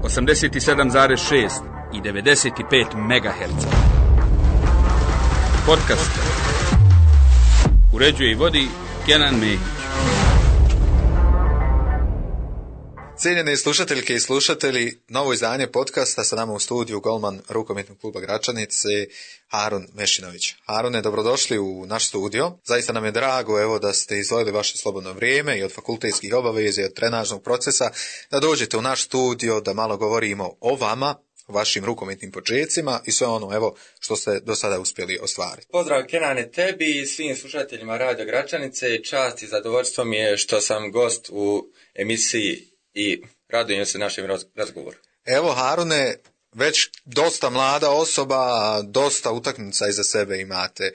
87,6 i 95 MHz. Podcast uređuje i vodi Kenan Mehić. Cijenjene slušateljke i slušatelji, novo izdanje podcasta sa nama u studiju golman rukometnog kluba Gračanice Harun Mešinović. Harune, dobrodošli u naš studio. Zaista nam je drago da ste izdvojili vaše slobodno vrijeme i od fakultetskih obaveza i od trenažnog procesa da dođete u naš studio da malo govorimo o vama, vašim rukometnim počecima i sve ono što ste do sada uspjeli ostvariti. Pozdrav Kenane tebi i svim slušateljima Radio Gračanice. Čast i zadovoljstvo mi je što sam gost u emisiji i radujem se našem razgovoru. Evo Harune, već dosta mlada osoba, dosta utakmica iza sebe imate.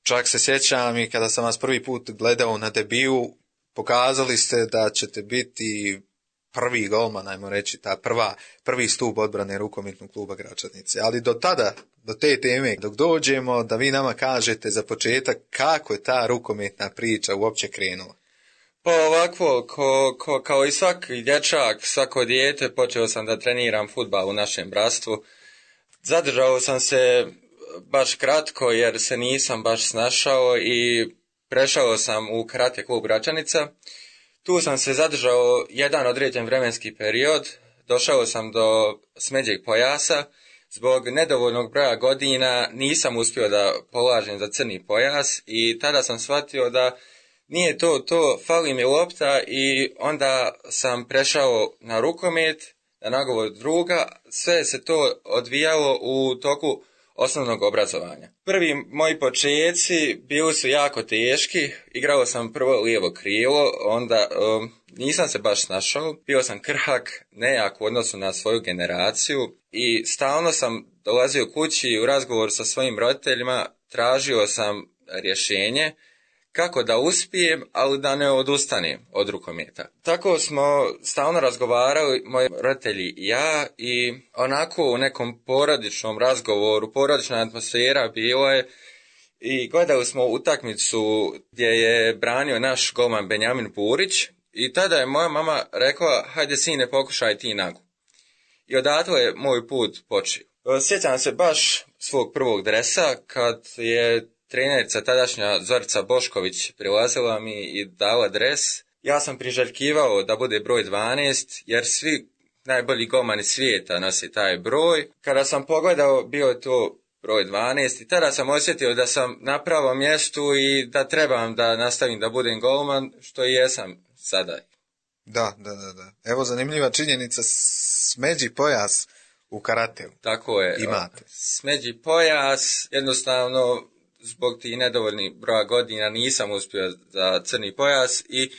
Čak se sjećam i kada sam vas prvi put gledao na debiju, pokazali ste da ćete biti prvi golman, ajmo reći, prvi stup odbrane rukometnog kluba Gračanice. Ali do tada, do te teme, dok dođemo, da vi nama kažete za početak kako je ta rukometna priča uopće krenula. Pa ovako, kao i svaki dječak, svako dijete, počeo sam da treniram fudbal u našem bratstvu. Zadržao sam se baš kratko jer se nisam baš snašao i prešao sam u karate klub Gračanica. Tu sam se zadržao jedan određen vremenski period, došao sam do smeđeg pojasa. Zbog nedovoljnog broja godina nisam uspio da polažem za crni pojas i tada sam shvatio da nije to, fali mi lopta i onda sam prešao na rukomet, na nagovor druga. Sve se to odvijalo u toku osnovnog obrazovanja. Prvi moji počeci bili su jako teški, igrao sam prvo lijevo krilo, onda nisam se baš snašao, bio sam krhak, nejak u odnosu na svoju generaciju i stalno sam dolazio kući u razgovor sa svojim roditeljima, tražio sam rješenje kako da uspijem, ali da ne odustanem od rukometa. Tako smo stalno razgovarali, moji roditelji i ja, i onako u nekom porodičnom razgovoru, porodična atmosfera bila je i gledali smo utakmicu gdje je branio naš golman Benjamin Burić i tada je moja mama rekla, hajde sine, pokušaj ti nagu. I odatle je moj put počeo. Sjećam se baš svog prvog dresa kad je trenerica tadašnja Zorica Bošković prilazila mi i dala dres. Ja sam priželjkivao da bude broj 12, jer svi najbolji golmani svijeta nosi taj broj. Kada sam pogledao, bio je to broj 12 i tada sam osjetio da sam na pravom mjestu i da trebam da nastavim da budem golman, što i jesam sada. Da. Evo zanimljiva činjenica, smeđi pojas u karateu. Tako je. Imate. Smeđi pojas, jednostavno zbog tih nedovoljnih broja godina nisam uspio za crni pojas i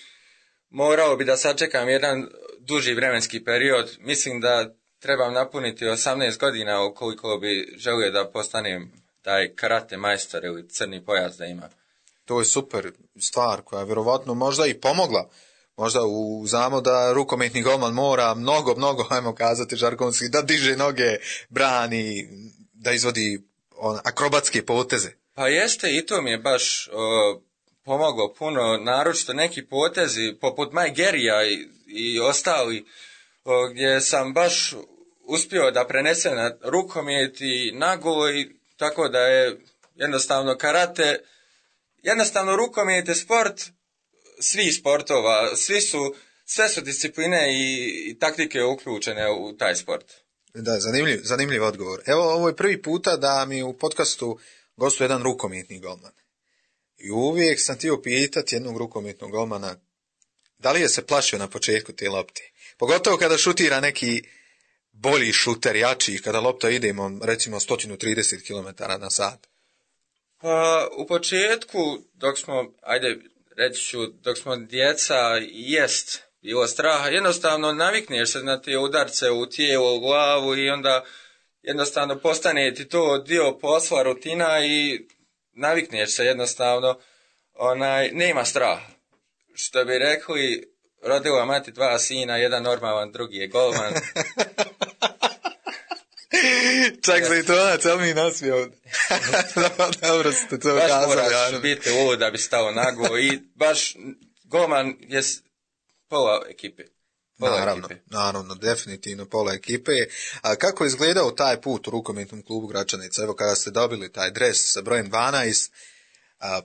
morao bi da sačekam jedan duži vremenski period. Mislim da trebam napuniti 18 godina ukoliko bi želio da postanem taj karate majstor ili crni pojas da imam. To je super stvar koja je vjerovatno možda i pomogla. Možda znamo da rukometni golman mora mnogo, ajmo kazati žargonski, da diže noge, brani, da izvodi akrobatske poteze. Pa jeste, i to mi je baš pomoglo puno, naročito neki potezi poput Mike Gerija i ostali, gdje sam baš uspio da prenesem na rukomet i nago, i tako da je jednostavno karate, jednostavno rukomet je sport svih sportova, sve su discipline i taktike uključene u taj sport. Da, zanimljiv odgovor. Evo, ovo je prvi puta da mi u podcastu gostuje jedan rukometni golman. I uvijek sam htio pitati jednog rukometnog golmana da li je se plašio na početku te lopte. Pogotovo kada šutira neki bolji šuter, jači, kada lopta ide recimo 130 km na sat. Pa u početku, dok smo djeca, jest bilo straha. Jednostavno navikneš se na te udarce u tijelo, u glavu i onda jednostavno postane ti to dio posla, rutina i navikneš se jednostavno, nema straha. Što bi rekli, rodila mati 2 sina, jedan normalan, drugi je golman. Čak se i to cel mi nasmio. Dobro ste to baš kazali. Baš moraš biti lud da bi stao nago i baš golman je pola ekipe. Naravno, definitivno pola ekipe. A kako je izgledao taj put u rukometnom klubu Gračanica? Evo kada ste dobili taj dres sa brojem 12,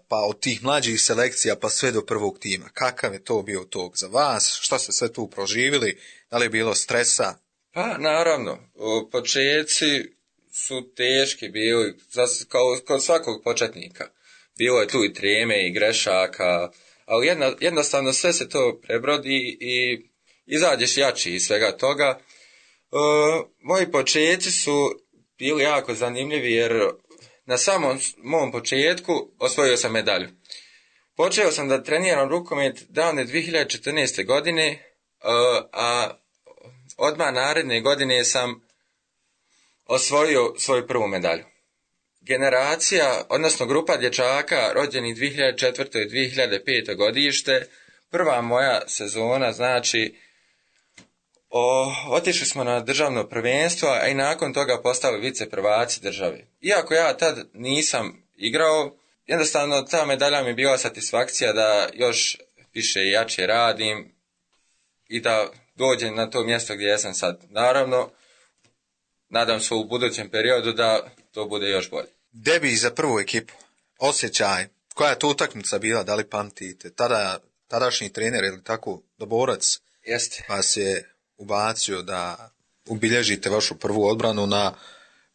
pa od tih mlađih selekcija pa sve do prvog tima. Kakav je to bio tog za vas? Šta ste sve tu proživili? Da li je bilo stresa? Pa naravno, početci su teški bili, kao kod svakog početnika. Bilo je tu i treme i grešaka, ali jednostavno sve se to prebrodi i izađeš jači iz svega toga. Moji početci su bili jako zanimljivi jer na samom mom početku osvojio sam medalju. Počeo sam da treniram rukomet davne 2014. godine, a odmah naredne godine sam osvojio svoju prvu medalju. Generacija, odnosno grupa dječaka rođenih 2004. i 2005. godište, prva moja sezona, znači otišli smo na državno prvenstvo, a i nakon toga postali viceprvaci države. Iako ja tad nisam igrao, jednostavno ta medalja mi je bila satisfakcija da još više i jače radim i da dođem na to mjesto gdje ja sam sad. Naravno, nadam se u budućem periodu da to bude još bolje. Debi za prvu ekipu, osjećaj, koja je to utakmica bila, da li pamtite? Tadašnji trener ili tako Doborac vas je ubacio da ubilježite vašu prvu odbranu na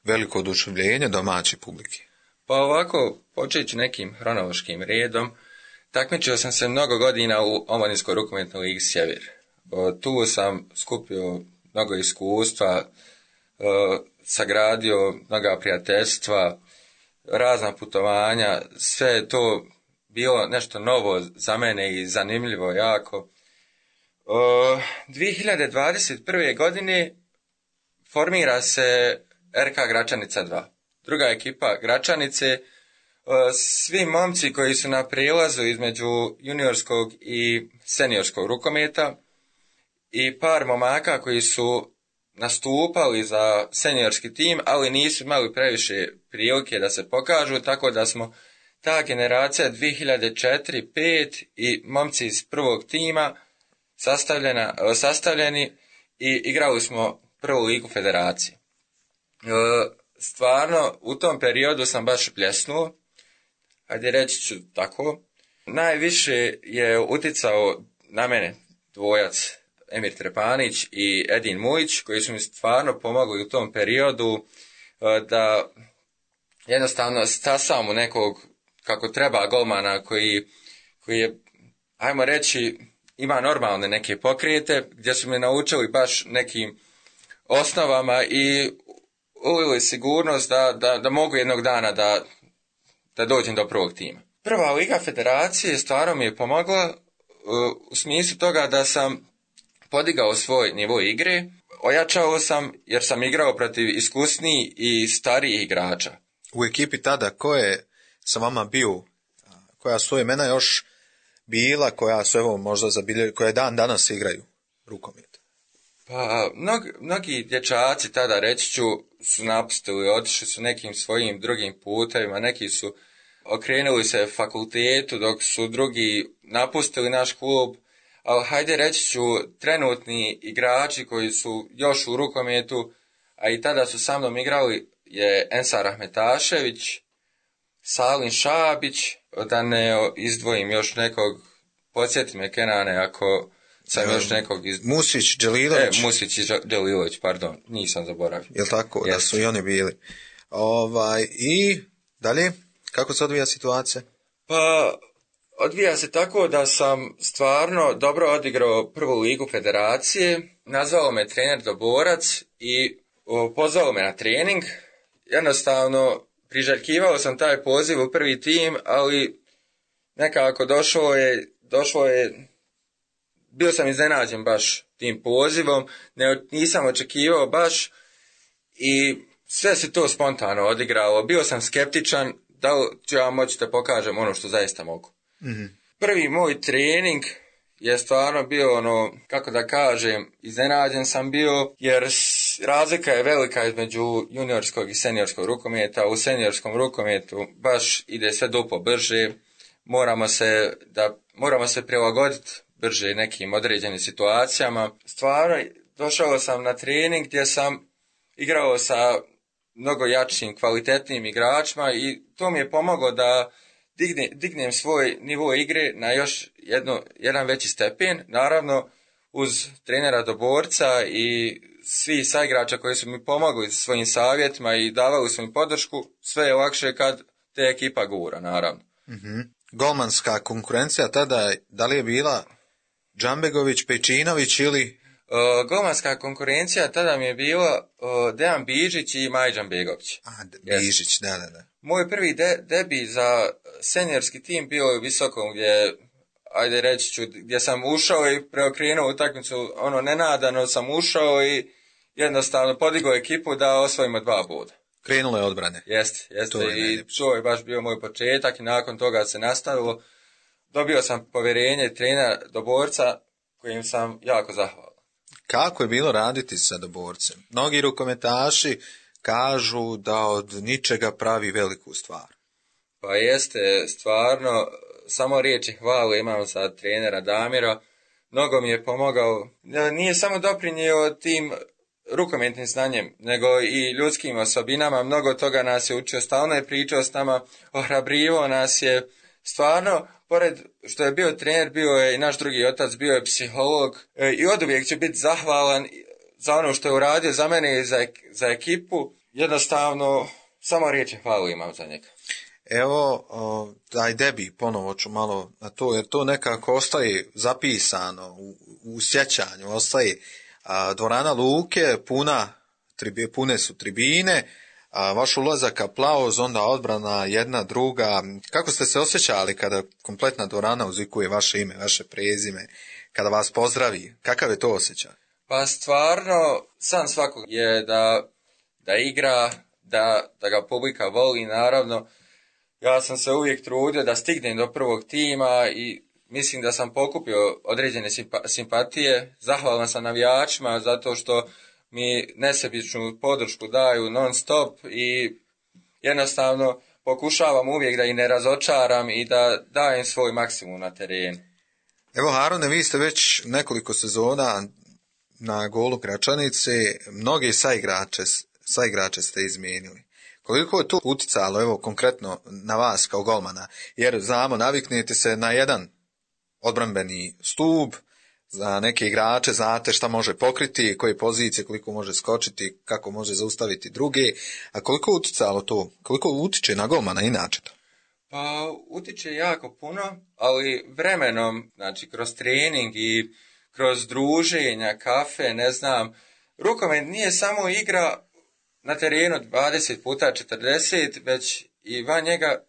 veliko oduševljenje domaće publike. Pa ovako, počeći nekim hronološkim redom, takmičio sam se mnogo godina u Omladinskoj rukometnoj ligi Sjever. Tu sam skupio mnogo iskustva, sagradio mnoga prijateljstva, razna putovanja, sve je to bilo nešto novo za mene i zanimljivo jako. 2021. godine formira se RK Gračanica 2. Druga ekipa Gračanice, svi momci koji su na prijelazu između juniorskog i seniorskog rukometa i par momaka koji su nastupali za seniorski tim, ali nisu imali previše prilike da se pokažu, tako da smo ta generacija 2004-5 i momci iz prvog tima sastavljeni i igrali smo prvu ligu federacije. Stvarno, u tom periodu sam baš bljesnuo, ajde reći ću tako. Najviše je uticao na mene dvojac Emir Trepanić i Edin Mujić, koji su mi stvarno pomogli u tom periodu da jednostavno stasam u nekog kako treba golmana koji je, ajmo reći, ima normalne neke pokrijete, gdje su me naučili baš nekim osnovama i ulili sigurnost da mogu jednog dana da dođem do prvog tima. Prva liga federacije stvarno mi je pomogla u smislu toga da sam podigao svoj nivo igre, ojačao sam jer sam igrao protiv iskusnijih i starijih igrača. U ekipi tada ko je sa vama bio, koja su imena još bila, koja su evo možda zabilježili, koje dan danas igraju rukomet? Pa, mnogi dječaci tada, reći ću, su napustili, otišli su nekim svojim drugim putevima, neki su okrenuli se fakultetu, dok su drugi napustili naš klub, ali hajde reći ću, trenutni igrači koji su još u rukometu, a i tada su sa mnom igrali, je Ensar Ahmetašević, Salin Šabić, da ne izdvojim još nekog, podsjeti me Kenane ako sam još nekog Musić Đelilović. Musić i Đelilović, pardon, nisam zaboravio. Jel tako, da su i oni bili. I dalje, kako se odvija situacija? Pa, odvija se tako da sam stvarno dobro odigrao prvu ligu federacije, nazvao me trener Doborac i pozvao me na trening. Jednostavno, priželjkivao sam taj poziv u prvi tim, ali nekako došlo je, bio sam iznenađen baš tim pozivom, nisam očekivao baš i sve se to spontano odigralo. Bio sam skeptičan da li ću ja moći da pokažem ono što zaista mogu. Mm-hmm. Prvi moj trening je stvarno bio kako da kažem, iznenađen sam bio jer razlika je velika između juniorskog i seniorskog rukometa. U seniorskom rukometu baš ide sve duplo brže, moramo se prilagoditi brže nekim određenim situacijama. Stvarno, došao sam na trening gdje sam igrao sa mnogo jačim, kvalitetnim igračima i to mi je pomoglo da dignem svoj nivo igre na još jedan veći stepen. Naravno, uz trenera Doborca i svi saigrača koji su mi pomogli svojim savjetima i davali su mi podršku, sve je lakše kad te ekipa gura, naravno. Mm-hmm. Golmanska konkurencija tada, da li je bila Džambegović, Pejčinović ili... Golmanska konkurencija tada mi je bila Dejan Bižić i Maj Džambegović. Bižić, da. Moj prvi debi za seniorski tim bio je u Visokom gdje sam ušao i preokrenuo utakmicu, nenadano sam ušao i jednostavno podigao ekipu da osvojimo 2 boda. Krenulo je odbrane. Jeste. To je baš bio moj početak i nakon toga se nastavilo. Dobio sam povjerenje trenera Doborca kojim sam jako zahvalan. Kako je bilo raditi sa Doborcem? Mnogi rukometaši kažu da od ničega pravi veliku stvar. Pa jeste, stvarno, samo riječi hvale imam za trenera Damira. Mnogo mi je pomogao. Nije samo doprinio tim rukometnim znanjem, nego i ljudskim osobinama. Mnogo toga nas je učio, stalno je pričao s nama, ohrabrivo nas je. Stvarno, pored što je bio trener, bio je i naš drugi otac, bio je psiholog i oduvijek će biti zahvalan za ono što je uradio za mene i za ekipu. Jednostavno, samo riječi hvale imam za njega. Evo, taj debi, ponovo ću malo na to, jer to nekako ostaje zapisano u sjećanju, ostaje dvorana Luke, pune su tribine, vaš ulazak, aplauz, onda odbrana jedna, druga. Kako ste se osjećali kada kompletna dvorana uzvikuje vaše ime, vaše prezime, kada vas pozdravi? Kakav je to osjećaj? Pa stvarno, san svakog je da igra, da ga publika voli, naravno. Ja sam se uvijek trudio da stignem do prvog tima i mislim da sam pokupio određene simpatije. Zahvalan sam navijačima zato što mi nesebičnu podršku daju non stop i jednostavno pokušavam uvijek da ih ne razočaram i da dajem svoj maksimum na terenu. Evo Harune, vi ste već nekoliko sezona na Golu Gračanice, mnoge saigrače ste izmijenili. Koliko je to utjecalo, evo konkretno na vas kao golmana, jer znamo, naviknete se na jedan odbrambeni stup, za neke igrače znate šta može pokriti, koje pozicije, koliko može skočiti, kako može zaustaviti druge, a koliko je utjecalo to, koliko utiče na golmana inače to? Pa utiče jako puno, ali vremenom, znači kroz trening i kroz druženja, kafe, ne znam, rukomet nije samo igra na terenu 20 puta 40, već i van njega.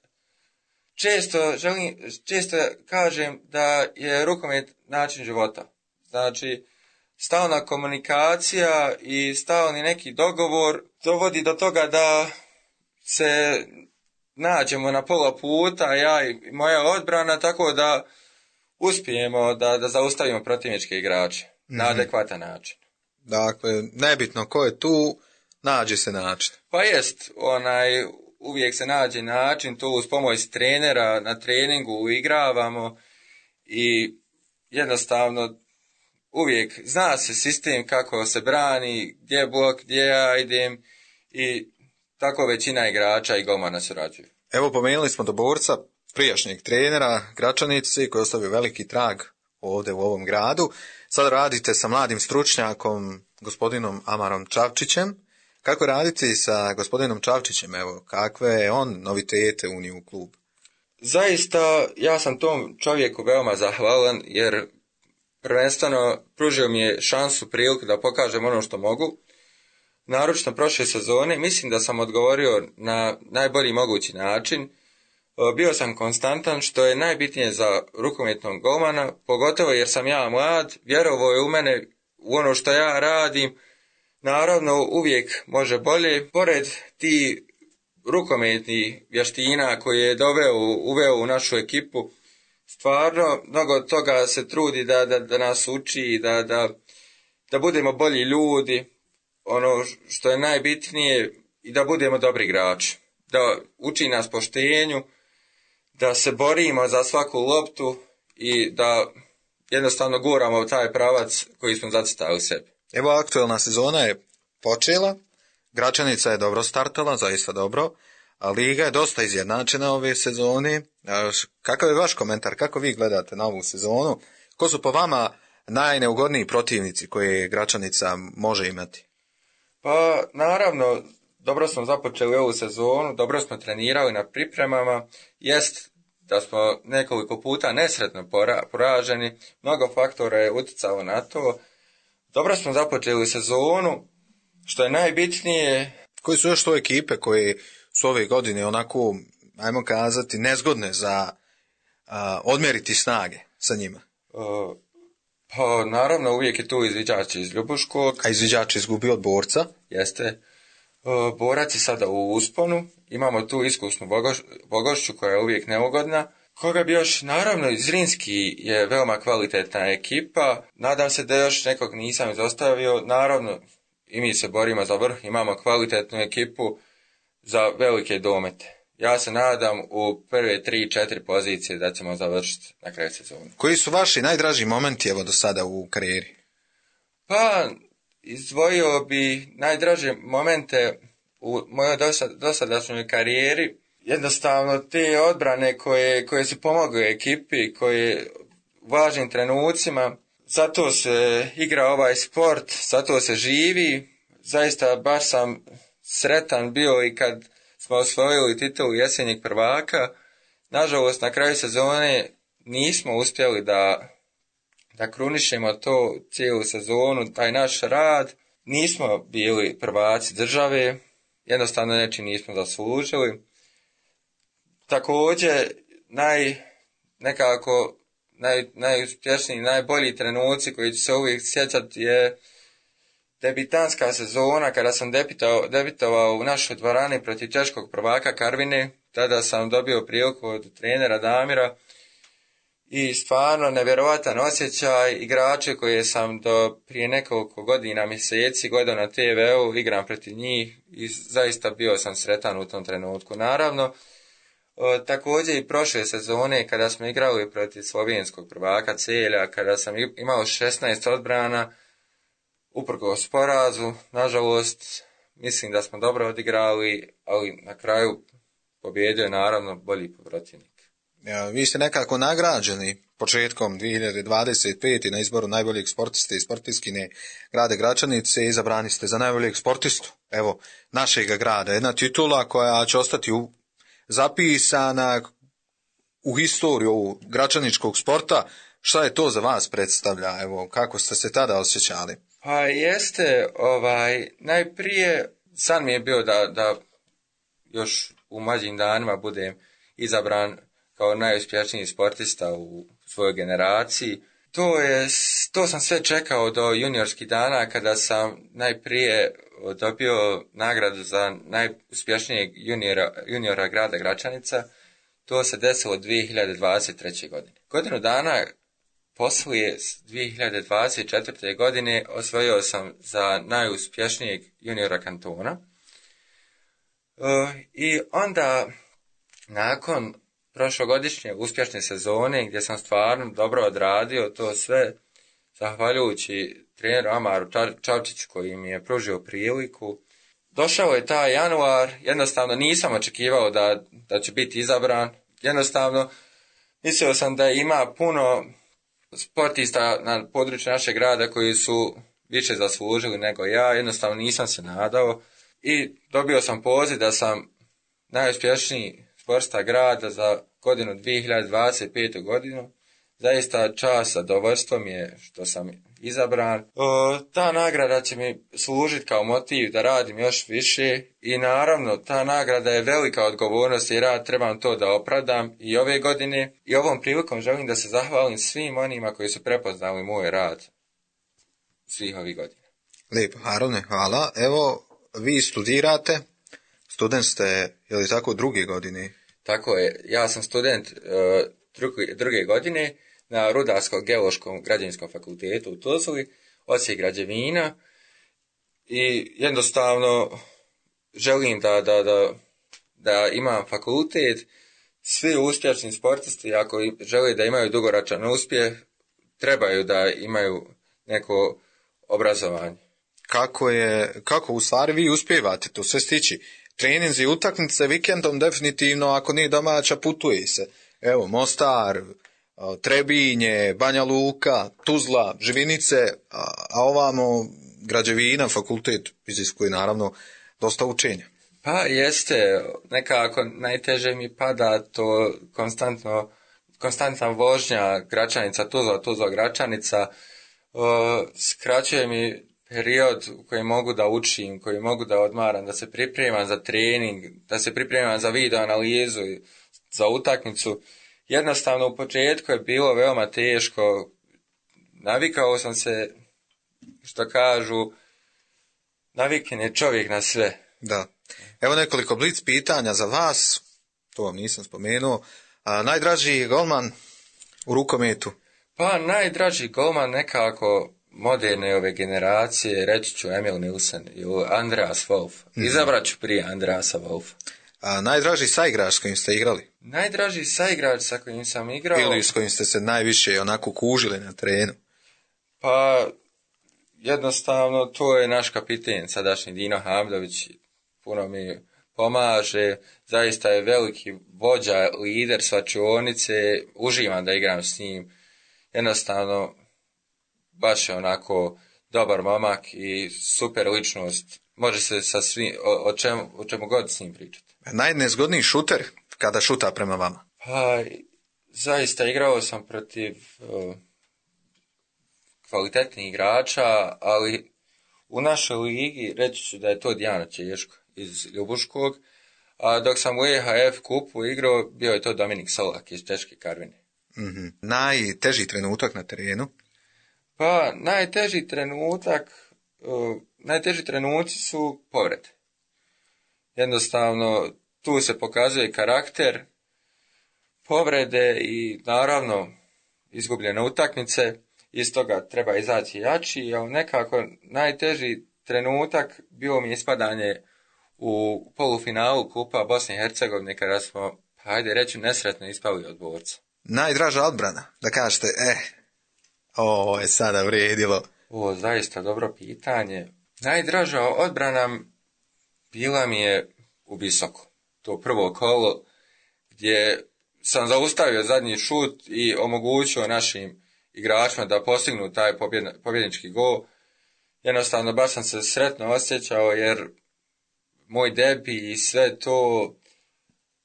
Često kažem da je rukomet način života. Znači, stalna komunikacija i stalni neki dogovor dovodi do toga da se nađemo na pola puta, ja i moja odbrana, tako da uspijemo da zaustavimo protivničke igrače na adekvatan način. Dakle, nebitno ko je tu, nađe se način. Pa jest, uvijek se nađe način, to uz pomoć trenera na treningu igravamo i jednostavno uvijek zna se sistem kako se brani, gdje je blok, gdje ja idem i tako većina igrača i golmana surađuju. Evo, pomenuli smo Doborca, prijašnjeg trenera Gračanice koji je ostavio veliki trag ovdje u ovom gradu. Sad radite sa mladim stručnjakom, gospodinom Amarom Čavčićem. Kako raditi sa gospodinom Čavčićem? Evo, kakve je on novitete unio u klub? Zaista, ja sam tom čovjeku veoma zahvalan, jer prvenstveno pružio mi je šansu, priliku da pokažem ono što mogu. Naročito prošle sezone, mislim da sam odgovorio na najbolji mogući način. Bio sam konstantan, što je najbitnije za rukometnog golmana, pogotovo jer sam ja mlad, vjerovao je u mene, u ono što ja radim. Naravno, uvijek može bolje. Pored ti rukometnih vještina koje je uveo u našu ekipu, stvarno mnogo toga se trudi da nas uči, da budemo bolji ljudi, ono što je najbitnije, i da budemo dobri igrači. Da uči nas poštenju, da se borimo za svaku loptu i da jednostavno guramo u taj pravac koji smo zacrtali sebi. Evo, aktuelna sezona je počela, Gračanica je dobro startala, zaista dobro, a liga je dosta izjednačena ove sezone. Kakav je vaš komentar, kako vi gledate na ovu sezonu? Ko su po vama najneugodniji protivnici koje Gračanica može imati? Pa, naravno, dobro smo započeli ovu sezonu, dobro smo trenirali na pripremama, jest da smo nekoliko puta nesretno poraženi, mnogo faktora je utjecalo na to. Dobro smo započeli sezonu, što je najbitnije. Koji su još to ekipe koje su ove godine onako, ajmo kazati, nezgodne za odmjeriti snage sa njima? Pa naravno uvijek je tu izviđač iz Ljubuškog. A izviđač izgubio od Borca? Jeste. Borac je sada u usponu. Imamo tu iskusnu Bogošću koja je uvijek neugodna. Koga bi još, naravno, Zrinski je veoma kvalitetna ekipa. Nadam se da još nekog nisam izostavio. Naravno, i mi se borimo za vrh. Imamo kvalitetnu ekipu za velike domete. Ja se nadam u prve 3-4 pozicije da ćemo završiti na kraju sezonu. Koji su vaši najdraži momenti evo do sada u karijeri? Pa, izdvojio bi najdraže momente u mojoj dosadašnjoj karijeri. Jednostavno te odbrane koje su pomogle ekipi, koje u važnim trenucima, zato se igra ovaj sport, zato se živi. Zaista baš sam sretan bio i kad smo osvojili titulu jesenjeg prvaka. Nažalost, na kraju sezone nismo uspjeli da krunišemo to cijelu sezonu, taj naš rad. Nismo bili prvaci države, jednostavno nečim nismo zaslužili. Također, najuspješniji, najbolji trenuci koji ću se uvijek sjećati je debitanska sezona kada sam debitovao u našoj dvorani protiv češkog prvaka Karvine. Tada sam dobio priliku od trenera Damira i stvarno nevjerovatan osjećaj. Igrače koje sam do prije nekoliko godina, mjeseci gledao na TV-u, igram protiv njih i zaista bio sam sretan u tom trenutku. Naravno, također i prošle sezone kada smo igrali protiv slovenskog prvaka Celja, kada sam imao 16 odbrana, uprkos porazu, nažalost, mislim da smo dobro odigrali, ali na kraju pobjedio je naravno bolji protivnik. Vi ste nekako nagrađeni početkom 2025. na izboru najboljeg sportiste i sportistkinje grada Gračanice, izabrani ste za najboljeg sportistu, evo, našeg grada. Jedna titula koja će ostati zapisana u historiju gračaničkog sporta. Šta je to za vas predstavlja? Evo, kako ste se tada osjećali? Pa jeste, najprije san mi je bio da još u mlađim danima budem izabran kao najuspješniji sportista u svojoj generaciji. To sam sve čekao do juniorskih dana kada sam najprije dobio nagradu za najuspješnijeg juniora grada Gračanica. To se desilo 2023. godine. Godinu dana poslije 2024. godine osvojio sam za najuspješnijeg juniora kantona. I onda, nakon prošlogodišnje uspješne sezone, gdje sam stvarno dobro odradio to sve, zahvaljujući treneru Amaru Čavčiću koji mi je pružio priliku, došao je taj januar, jednostavno nisam očekivao da će biti izabran, jednostavno mislio sam da ima puno sportista na području našeg grada koji su više zaslužili nego ja, jednostavno nisam se nadao i dobio sam poziv da sam najuspješniji sportista grada za godinu 2025. godinu. Zaista čast, zadovoljstvo mi je što sam izabran. Ta nagrada će mi služiti kao motiv da radim još više i naravno ta nagrada je velika odgovornost i rad, trebam to da opravdam i ove godine i ovom prilikom želim da se zahvalim svim onima koji su prepoznali moj rad svih ovih godina. Lijepo, Harune, hvala. Evo, vi studirate, student ste, je li tako, druge godine? Tako je, ja sam student druge godine na Rudarsko-geološkom građevinskom fakultetu u Tuzli, odsjek građevina i jednostavno želim da imam fakultet. Svi uspješni sportisti, ako žele da imaju dugoročan uspjeh, trebaju da imaju neko obrazovanje. Kako u stvari vi uspijevate to sve stići? Treninzi, utakmice, vikendom definitivno, ako nije domaća, putuje se. Evo, Mostar, Trebinje, Banja Luka, Tuzla, Živinice, a ovamo građevina, fakultet iziskuje naravno dosta učenja. Pa jeste, nekako najteže mi pada to konstantna vožnja Gračanica, Tuzla, Gračanica, skraćuje mi period u kojem mogu da učim, koji mogu da odmaram, da se pripremam za trening, da se pripremam za video analizu, za utakmicu. Jednostavno u početku je bilo veoma teško, navikao sam se, što kažu, naviken je čovjek na sve. Da. Evo nekoliko blic pitanja za vas, to vam nisam spomenuo. Najdraži golman u rukometu? Pa najdraži golman nekako moderne ove generacije, reći ću Emil Nilsen ili Andreas Wolf. Izabrat ću prije Andreasa Wolfa. Najdraži saigrač s kojim ste igrali? Najdraži saigrač sa kojim sam igrao... Ili s kojim ste se najviše onako kužili na terenu? Pa jednostavno to je naš kapiten, sadašnji Dino Hamdović. Puno mi pomaže, zaista je veliki vođa, lider svačionice, uživam da igram s njim. Jednostavno, baš je onako dobar momak i super ličnost. Može se sa svim, o čemu god s njim pričati. Najnezgodniji šuter kada šuta prema vama? Pa, zaista igrao sam protiv kvalitetnih igrača, ali u našoj ligi reći ću da je to Dijana Češko iz Ljubuškog, a dok sam u EHF kupu igrao, bio je to Dominik Solak iz Češke Karvine. Mm-hmm. Najteži trenutak na terenu? Pa, najteži trenuci su povrede. Jednostavno, tu se pokazuje karakter, povrede i naravno izgubljene utakmice, iz toga treba izaći jači, ali nekako najteži trenutak bio mi ispadanje u polufinalu Kupa Bosne i Hercegovine kada smo, hajde reći, nesretno ispali od borca. Najdraža odbrana, da kažete, ovo je sada vrijedilo. Zaista dobro pitanje. Najdraža odbrana bila mi je u Visoku. To prvo kolo gdje sam zaustavio zadnji šut i omogućio našim igračima da postignu taj pobjednički gol. Jednostavno baš sam se sretno osjećao jer moj debi i sve to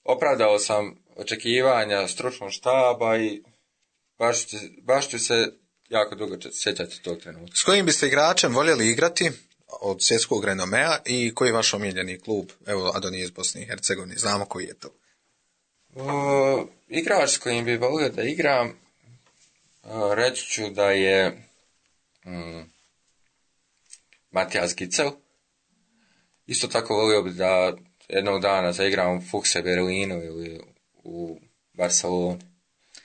opravdao sam očekivanja stručnog štaba i baš ću se jako dugo sjećati tog trenutka. S kojim biste igračem voljeli igrati od svjetskog renomea i koji je vaš omiljeni klub? Evo, a da nije iz Bosne i Hercegovine, znamo koji je to. Igrač s kojim bi volio da igram, reći ću da je Matijas Gicel. Isto tako volio bi da jednog dana zaigram u Fuchse Berlinu ili u Barceloni.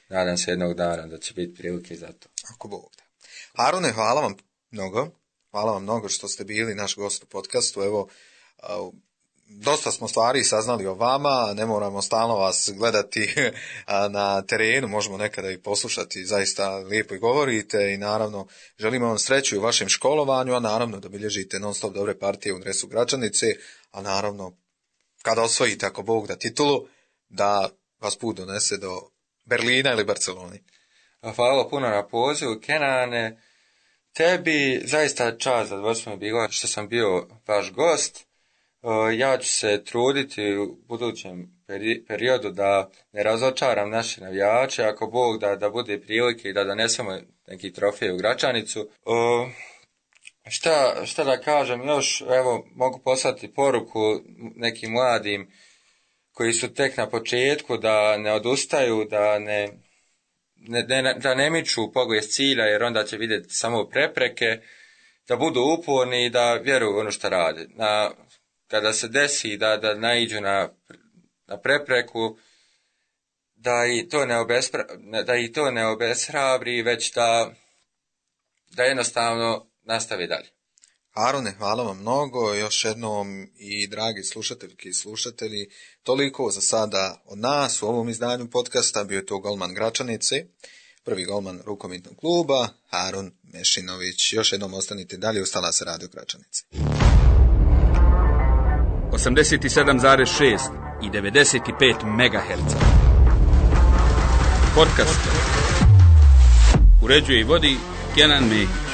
Nadam se jednog dana da će biti prilike za to. Ako Bog da. Harune, hvala vam mnogo. Hvala vam mnogo što ste bili naš gost u podcastu. Evo, dosta smo stvari saznali o vama, ne moramo stalno vas gledati na terenu, možemo nekada i poslušati, zaista lijepo i govorite i naravno želimo vam sreću u vašem školovanju, a naravno da bilježite non stop dobre partije u dresu Gračanice, a naravno kada osvojite, ako Bog da, titulu, da vas put donese do Berlina ili Barcelone. Hvala puno na pozivu, Kenane. Tebi zaista čast, zadovoljstvo mi bilo što sam bio vaš gost. Ja ću se truditi u budućem periodu da ne razočaram naše navijače, ako Bog da bude prilike i da donesemo neki trofej u Gračanicu. Šta da kažem još, evo mogu poslati poruku nekim mladim koji su tek na početku da ne odustaju, da ne miču pogled cilja jer onda će vidjeti samo prepreke, da budu uporni i da vjeruju u ono što rade. Kada se desi da naiđu na prepreku, da i to ne obeshrabri, već da jednostavno nastavi dalje. Harune, hvala vam mnogo, još jednom i dragi slušateljki i slušatelji, toliko za sada od nas u ovom izdanju podcasta, bio je to golman Gračanice, prvi golman rukometnog kluba, Harun Mešinović. Još jednom ostanite dalje, ustala se Radio Gračanice. 87,6 i 95 MHz. Podcast. Uređuje i vodi Kenan Mehić.